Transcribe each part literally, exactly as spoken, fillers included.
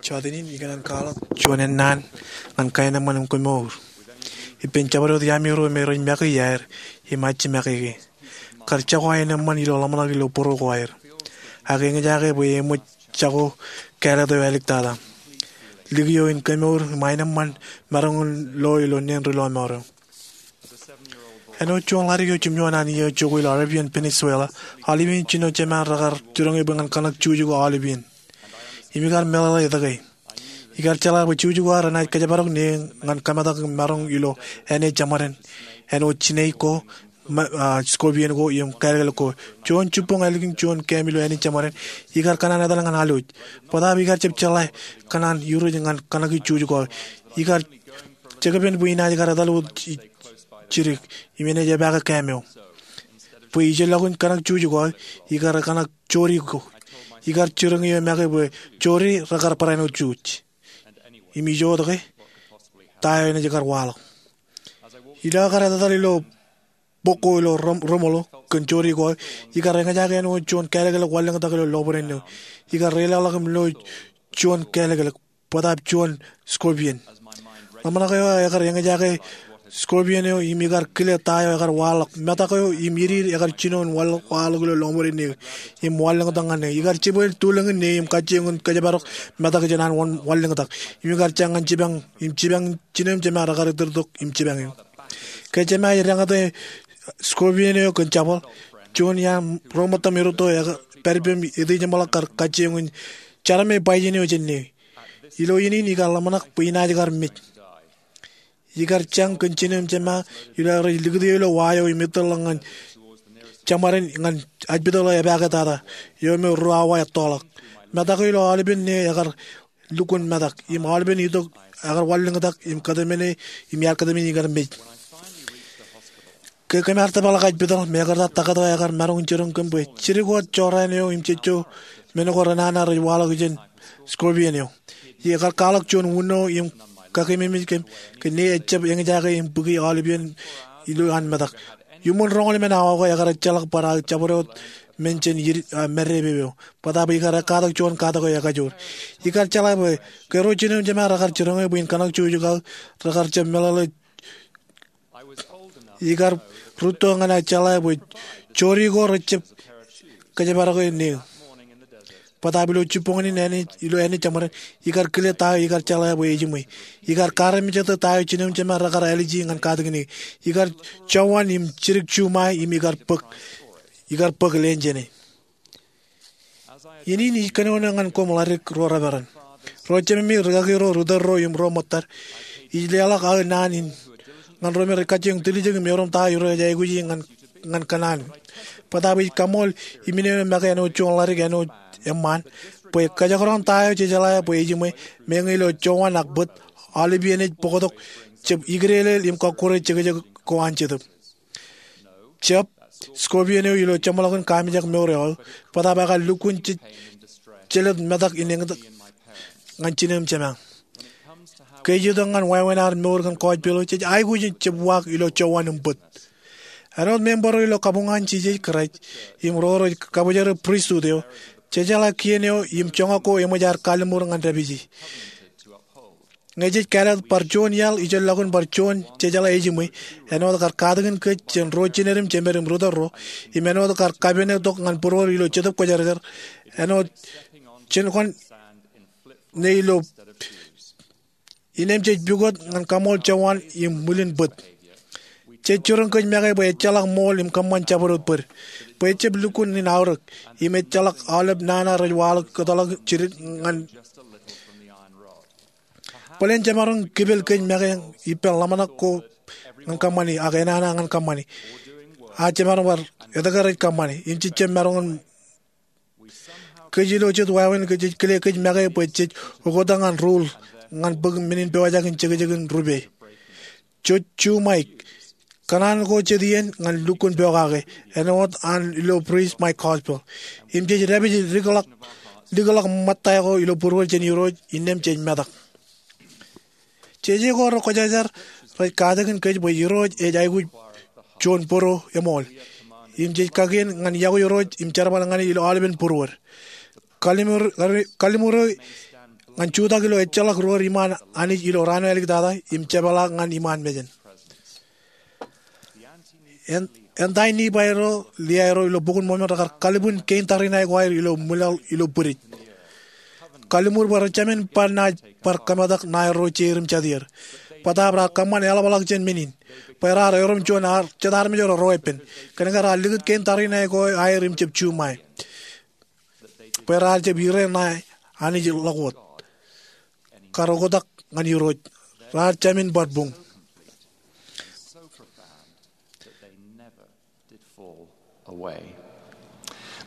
Jota in, ikōṇaan kwaḷọk juon ennaan ñan kaenōṃṃan im kemour ippān jabdewōt iaami ro me rej make iaer im ajimake ke. Kar jako aenōṃṃan ilo ḷōmṇak ilo būruō ko aer, ak eñjake bwe eṃōj jako kāālōt eo āliktata, likio in kemour im aenōṃṃan maroñ in lo ilo neen ri lọmọọr eo. Āinwōt juon ḷadik eo jimjuon an iiō jokwe ilo Arabian Peninsula, aolep iien jino jema rekar jiroñ e bwe ñan kōṇak juuj ko aolep iien. Im ikar meḷeḷe etke. Ikar jeḷā bwe juuj ko aer renaaj kōjparok ne ñan kōmetak im maroñ ilo āne jeṃaden, āinwōt snake ko, scorpion ko im kālōklōk ko. Juon jibboñ ālikin juon kām ilo āne jeṃaden, ikar kōṇaan etal ñan alwōj. Bōtaab ikar jab jeḷā kōṇaan iruj ñan kōṇaki juuj ko aer. Ikar jekpen bwe inaaj kar etal wōt jidik im enaaj epaake kām eo. Bwe ijellọkin kōṇak juuj ko aer, ikar kōṇak jori ko. Ikar jiroñ eō make bwe jori rekar barāinwōt juuj. Im ijo wōt ke, ta eo enaaj kar waḷọk. Ilo aō kar etetal ilo bok ko ilo Rimolo kōn jori ko aer, ikar eñjake āinwōt juon kālōklōk wanlōñtak ilo lọpiden eo. Ikar reilaḷọk im lo juon kālōklōk, bōtaab juon scorpion. Ḷōmṇak eo aō ekar eñjake scorpion eo im ikar kile ta eo ekar waḷọk. Metak eo im idiid ekar jino in waḷọk ilo lọpiden eo im wanlōñtak ñan e. Ikar jibwil tulōñin ne im kajjioñ in kōjparok metak jān an wanlōñtak. Im ikar jañ ñan jipañ im jipañ jinem jema rekar itōrtok im jipañ eō. Ke jema ej deñōte scorpion eo kōn jabōḷ, juon iaan ro ṃōttan irūtto eo pād ippem etijeṃḷọk kar kajjioñ in jarme bajjin eo jān e. Ilo iien in ikar ḷōmṇak bwe inaaj kar mej. Ikar jañ kōn jinem jema ilo aer ej likūti ilo wa eo im ettōrḷọk ñan jeṃaden ñan ajpitōḷ eo epaaketata eo me ruo awa ettoḷọk. Metak eo ilo aolepen ne ekar lukkuun metak im aolepen itok ekar wanlōñtak im kōtmāne im iar kōtmāne ikar mej. Ke kōm ar tōprak ajpitōḷ, mekarta taktō ekar maroñ in jiroñ kōm bwe jidik wōt jorrāān eo im jejjo men ko renana rej waḷọk jān scorpion eo. Ekar kwaḷọk juon wūno im kakememej kōm ke ne ejab eñjake im bōki aolepen ilo an metak. Iuṃwin roñoul emān awa ko ekar ejjeḷọk bar aō jabdewōt men jān madipepe eo. Bōtaab ikar ekkatak juon katak eo ekajoor. Ikar jeḷā bwe ke ro jinem jema rekar jiroñ e bwe in kōṇak juuj ko aō, rekar jab meḷeḷe. Ikar rūtto ñan aō jeḷā bwe jori ko rejab kōjparok e ne. Bōtaab ilo jibboñin in ilo āne jeṃaden, ikar kile ta eo ikar jeḷā bwe ejiṃwe. Ikar kaarmejete ta eo jinem jema rekar āliji ñan katakin e. Ikar jowan im jidik juṃae im ikar bōk. Ikar bōk leen jān e. Iien in ij kōnono ñan koṃ ḷadik ro reperan, ro jememi, rikaki ro, ri tōl ro im ro ṃōttad. Ij leḷọk aō naan in ñan ro me rej kajjioñ tiljek im erom ta eo Irooj ej aikuji ñan kōṇaan. Bōtaab ij kaṃool iminene make āinwōt juon ḷadik āinwōt eṃṃaan bwe kōjekdọọn ta eo jejeḷā bwe ejiṃwe, meñe ilo jowan ak bōt, aolepien ej bōktok, jab ikideeḷeel im kọkkure jekjek ko an Jetōb. Jab, scorpion eo ilo jeṃḷọkin kaamijak mour eo aō, bōtaab ekar lukkuun jelōt metak in eñtak ñan jinem jema. Ke ej itok ñan wāween ad mour kōn kọọj pilo, jej aikuj in jab uwaak ilo jowan im bōt. Āinwōt member eo ilo kabuñ an Jisōs Kraist im ro rej kabōjrak pristut eo, jejeḷā kien eo im joñak ko eṃōj ad kalliṃur ñan dāpiji. Ñe jej kāālōt bar juon iaḷ ijellọkin bar juon jejeḷā ejiṃwe, āinwōt kar katakin kōj jān ro jined im jemed im ri tōl ro, im āinwōt kar kapene tok ñan būruod ilo Jetōb Kwōjarjar, āinwōt jen kōn ne ilo, innem jej pukot ñan kaṃool jowan im ṃwilin bōt. Jej jiroñ kōj make bwe ejjeḷọk ṃool im kōṃṃan jabdewōt bōd, bwe ejab lukkuun in aorōk, im ejjeḷọk aolep nana rej waḷọk kōtḷọk jidik ñan Bōlen jemaroñ kipel kōj make ippān ḷōmṇak ko ñan kōṃṃani ak enana ñan kōṃṃani. A jemaroñ bar etke rej kōṃṃani im jejjab maroñ in. Kōj ilo jet wāween ke jej kile kōj make bwe jej oktak ñan ruul ñan bōk men in pojak in jekjekin rupe. Jej juṃae kōṇaan ko jet iien ñan lukkuun pokake āinwōt an ilo Preach My Gospel. Im jej dāpij likḷọk, likḷọk ṃōtta ko ilo būruod jān Irooj innām jej metak. Jeje ko rekwōjarjar rej katakin kōj bwe Irooj ej aikuj juon bōro eṃool. Im jej kakien ñan iọkwe Irooj im jerbal ñan e ilo aolepen būruod. Kalliṃur, kalliṃur eo ñan jutak ilo ejjeḷọk ri-iṃaan Anij ilo raan eo āliktata im jepḷaak ñan iṃaan mejān. Anti-Nifai ro, Liai ro ilo Bok in Mormon rekar kalbwin kein tariṇae ko aer ilo ṃwilaḷ ilo bwidej. Kalliṃur bwe rejāmin bar naaj bar kōmetak ṇae ro jeir im jatier. Bōtaab raar kōṃṃan eḷapḷọk jān men in bwe raar erom juon jet armej ro reweeppān. Kōnke raar likūt kein tariṇae ko aer im jab juṃae bwe raar jab ire ṇae Anij ḷọk wōt. Kar oktak ñan Irooj, raar jāmin bar buñ.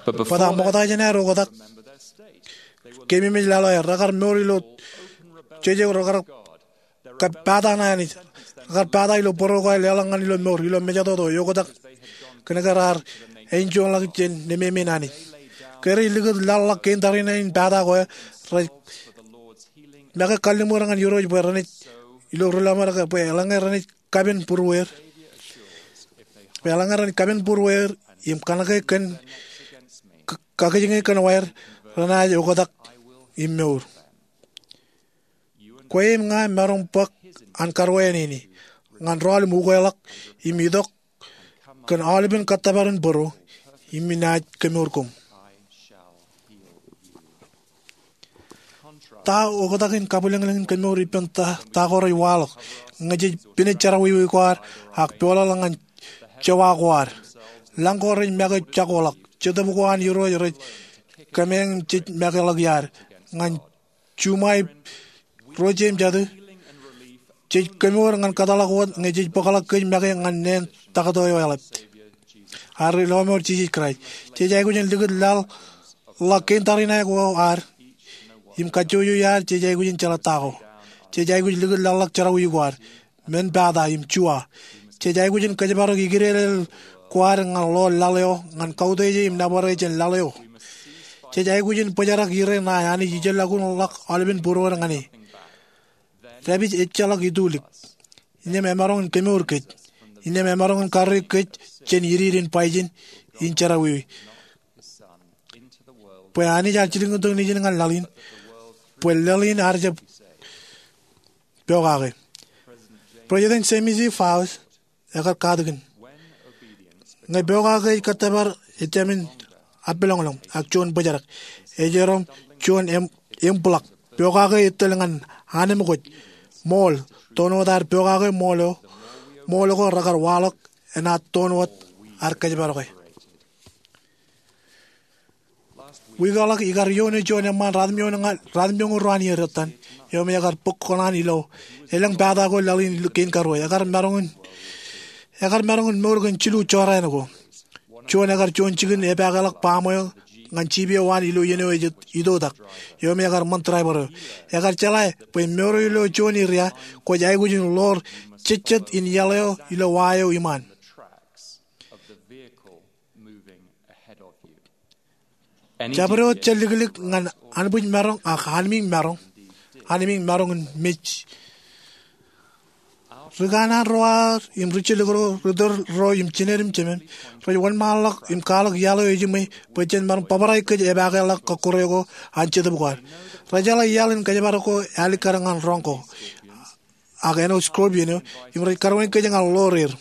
Bōtaab ṃokta jān aer oktak, keememej laḷ eo aer, rekar mour ilo jeje, rekar kab pata ṇae Anij. Rekar pata ilo bōro ko aer leḷọk ñan ilo mour ilo mejatoto eoktak kōnke raar āinjuonḷọk jān nemāmein Anij. Ke rej likūt laḷ ḷọk kein tariṇae in pata ko aer, rej make kalliṃur ñan Irooj bwe renaaj, ilo ri-lọmọọr ke, bwe eḷaññe renaaj kapen būruweir, bwe eḷaññe renaaj kapen būruweir im kanōke kōn, k-, kakijñe kōn waer, renaaj oktak im mour. Kwe im ña maroñ bōk an karuwainenein ñan rọọl im ukweḷọk im itok kōn aolepen kōttōpar in bōro, im inaaj kemour koṃ. Ta oktak in kabwilōñlōñ in kemour ippān ta, ta ko rej waḷọk ñe jej pinej jerọwiwi ko ad ak peḷḷọk ñan jewa ko ad? Lañ ko rej make jakoḷọk. Jetōb ko an Irooj rej kōmeañ im jej makeḷọk iaad ñan juṃae ro jeiū im jatū. Jej kemour ñan kōtḷọk wōt ñe jej bōkḷọk kōj make ñan neen taktō eo eḷap, ad ri-lọmọọr Jisōs Kraist. Jej aikuj in likūt laḷ ḷọk kein tariṇae ko ad im kajjojo iaad. Jej aikuj in jeḷā ta ko. Jej aikuj likūt laḷ ḷọk jerọwiwi ko ad, men pata im juwa. Jej aikuj in kōjparok ikidedel ko ad ñan ḷoor laḷ eo ñan kautiej e im nōbar e jān laḷ eo. Jej aikuj in bōjrak ire ṇae Anij ijellọkun ḷọk aolepen būruod ñan e. Dāpij ejjeḷọk itulik. Innām emaroñ in kemour kōj. Innām emaroñ in karreoik kōj jān idiid in baijin in jerọwiwi, bwe Anij ear jilkintok Nejin ñan laḷ in, bwe laḷ in ear jab pokake. President James E. Faust ekar katakin, ñe pokake ej kōttōpar, ejāmin appeḷọñḷọñ ak juon bōjrak. Ej erom juon em-, embḷọk. Pokake ej tōl ñan anemkwōj. Ṃool, toon wōt ad pokake ṃool eo, ṃool ko rekar waḷọk enaaj toon wōt ad kōjparoke. Wiik eo ḷọk ikar iioone juon eṃṃaan ratimjuon ña-, ratimjuon ruo an iiō dettan, eo me ekar bōk kōṇaan ilo elōñ pata ko laḷ in kein karuo. Ekar maroñ in, ekar maroñ in mour kōn jilu jorrāān ko. Juon ekar juon jikin epaakḷọk baṃ eo ñan jiip eo an ilo iien eo ej itoitak, eo me ekar ṃōn driver eo. Ekar jeḷā bwe mour eo ilo juon area kwōj aikuj in ḷoor jejjet in iaḷ eo ilo wa eo iṃaan. Jabdewōt jeliklik ñan anbwijmaroñ ak anmiiñ maroñ, anmiiñ maroñ in mej. Ri kanaan ro ad im ri jilik ro, ri tōl ro im jined im jemem, rej wōnṃaanḷọk im kwaḷọk iaḷ eo ejiṃwe bwe jen maroñ bōbrae kōj epaake ḷọk kọkkure ko an jetōb ko ad. Rej jeḷā iaḷ in kōjparok ko ālikkar ñan roñ ko ak āinwōt scorpion eo, im rej karuwañ kōj ñan ḷoor er.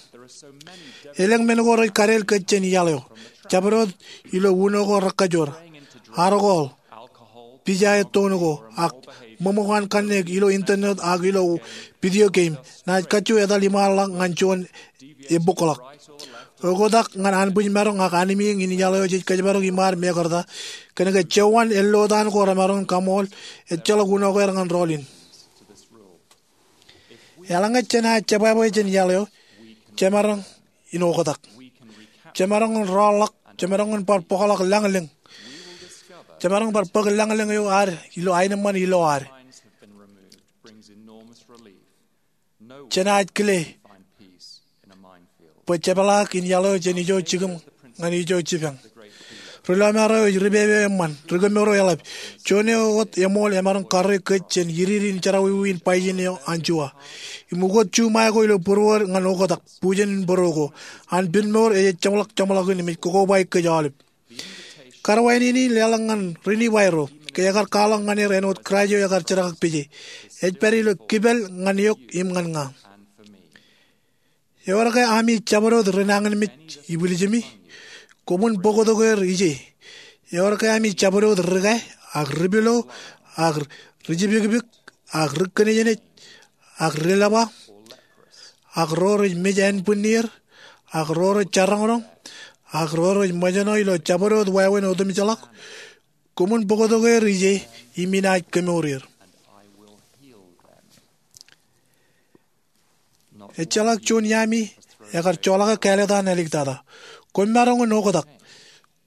Elōñ men ko rej kadeel kōj jān iaḷ eo. Jabdewōt ilo uno ko rekkajoor, arkoḷ, pija ettoon ko, ak ṃōṃōk an kanniōk ilo internet ak ilo video game, naaj kajju etal iṃaanḷọk ñan juon ebbukḷọk. Oktak ñan anbwijmaroñ ak anmiiñ in iaḷ eo jej kōjparok iṃaad mekarta, kōnke jewwaan ellotaan ko remaroñ in kaṃool, ejjeḷọk uno ko aer ñan rọọl in. Eḷaññe jenaaj jebwābwe jān iaḷ eo, jemaroñ in oktak. Jemaroñ in rọọlḷọk, jemaroñ in bar bōkḷọk lañlōñ. Jemaroñ bar bōk lañlōñ eo ad ilo aenōṃṃan ilo ad. Jenaaj kile bwe jepḷaak in iaḷ eo jān ijo jikin ñan ijo jipañ. Ri-lọmọọr eo ej ripepe eo eṃṃan, ri-kemour eo eḷap. Juon eo wōt eṃool emaroñ karreoik kōj jān idiid in jerọwiwi in baijin eo an juwa. Im ukōt juṃae ko ilo būruod ñan oktak, bujen in bōro ko. An pinmour ej ejjeḷọk jeṃḷọkin im ej kokobaik kōj aolep. Karuwainene in leḷọk ñan ri-Nifai ro. ke ekar kwaḷọk ñan er āinwōt Kraist eo ekar jerkakpeje. Ej pād ilo kipel ñan eok im ñan ña. Ewōr ke ami jabdewōt ri nañinmej ibwiljimi? Koṃwin bōktok er ije. Ewōr ke ami jabdewōt ri-kā ak ri-pilo ak ri-jipikpik ak ri-kōnejnej ak ri-lepa ak ro rej mej ānbwinnier ak ro rej jaroñroñ ak ro rej ṃōjṇọ ilo jabdewōt wāween otemjeḷọk? Koṃwin bōktok er ije im inaaj kemour er. Ejjeḷọk juon iaami ekar joḷọk kāālōt an āliktata. Kwōmaroñ in oktak.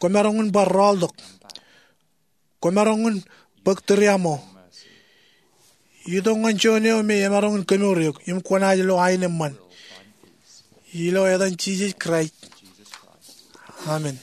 Kwōmaroñ in bar rọọltok. Kwōmaroñ in bōk tūriaṃo. Itok ñan juon eo me emaroñ in kemour eok im kwōnaaj lo aenōṃṃan. Ilo etan Jisōs Kraist, amen.